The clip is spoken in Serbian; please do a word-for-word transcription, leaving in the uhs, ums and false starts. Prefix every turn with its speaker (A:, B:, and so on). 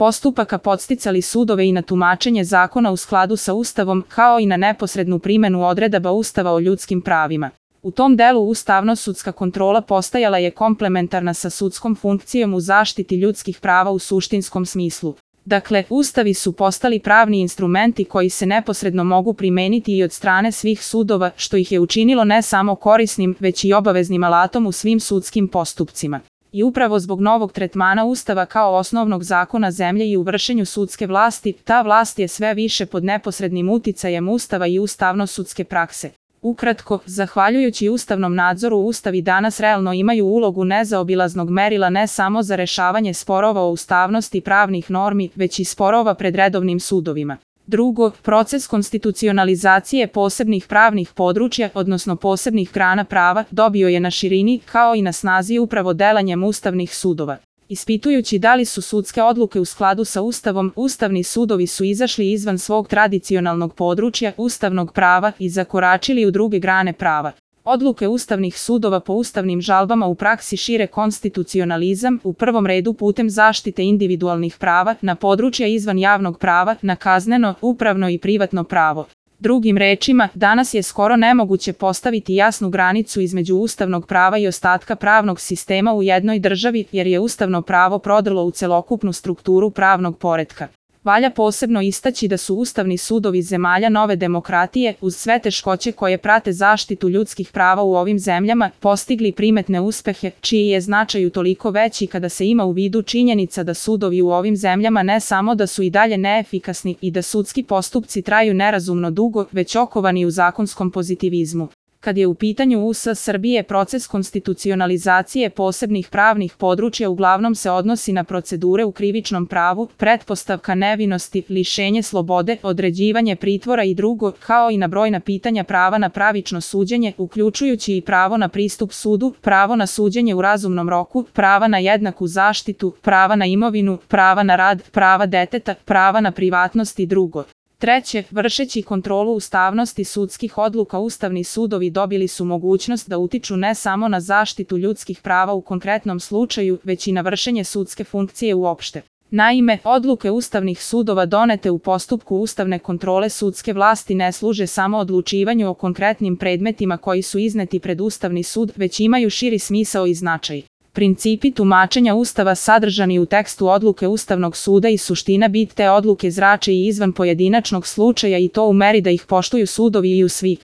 A: postupaka podsticali sudove i na tumačenje zakona u skladu sa Ustavom, kao i na neposrednu primenu odredaba Ustava o ljudskim pravima. U tom delu ustavno-sudska kontrola postajala je komplementarna sa sudskom funkcijom u zaštiti ljudskih prava u suštinskom smislu. Dakle, ustavi su postali pravni instrumenti koji se neposredno mogu primeniti i od strane svih sudova, što ih je učinilo ne samo korisnim, već i obaveznim alatom u svim sudskim postupcima. I upravo zbog novog tretmana Ustava kao osnovnog zakona zemlje i u vršenju sudske vlasti, ta vlast je sve više pod neposrednim uticajem Ustava i ustavno-sudske prakse. Ukratko, zahvaljujući ustavnom nadzoru, ustavi danas realno imaju ulogu nezaobilaznog merila ne samo za rešavanje sporova o ustavnosti pravnih normi, već i sporova pred redovnim sudovima. Drugo, proces konstitucionalizacije posebnih pravnih područja, odnosno posebnih grana prava, dobio je na širini, kao i na snazi upravo delanjem ustavnih sudova. Ispitujući da li su sudske odluke u skladu sa Ustavom, ustavni sudovi su izašli izvan svog tradicionalnog područja ustavnog prava i zakoračili u druge grane prava. Odluke ustavnih sudova po ustavnim žalbama u praksi šire konstitucionalizam, u prvom redu putem zaštite individualnih prava, na područja izvan javnog prava, na kazneno, upravno i privatno pravo. Drugim rečima, danas je skoro nemoguće postaviti jasnu granicu između ustavnog prava i ostatka pravnog sistema u jednoj državi, jer je ustavno pravo prodrlo u celokupnu strukturu pravnog poretka. Valja posebno istaći da su ustavni sudovi zemalja nove demokratije, uz sve teškoće koje prate zaštitu ljudskih prava u ovim zemljama, postigli primetne uspehe, čiji je značaj utoliko veći kada se ima u vidu činjenica da sudovi u ovim zemljama ne samo da su i dalje neefikasni i da sudski postupci traju nerazumno dugo, već okovani u zakonskom pozitivizmu. Kad je u pitanju U S Srbije, proces konstitucionalizacije posebnih pravnih područja uglavnom se odnosi na procedure u krivičnom pravu, pretpostavka nevinosti, lišenje slobode, određivanje pritvora i drugo, kao i na brojna pitanja prava na pravično suđenje, uključujući i pravo na pristup sudu, pravo na suđenje u razumnom roku, prava na jednaku zaštitu, prava na imovinu, prava na rad, prava deteta, prava na privatnost i drugo. Treće, vršeći kontrolu ustavnosti sudskih odluka, ustavni sudovi dobili su mogućnost da utiču ne samo na zaštitu ljudskih prava u konkretnom slučaju, već i na vršenje sudske funkcije uopšte. Naime, odluke ustavnih sudova donete u postupku ustavne kontrole sudske vlasti ne služe samo odlučivanju o konkretnim predmetima koji su izneti pred Ustavni sud, već imaju širi smisao i značaj. Principi tumačenja Ustava sadržani u tekstu odluke Ustavnog suda i suština bit te odluke zrače i izvan pojedinačnog slučaja i to u meri da ih poštuju sudovi i u svi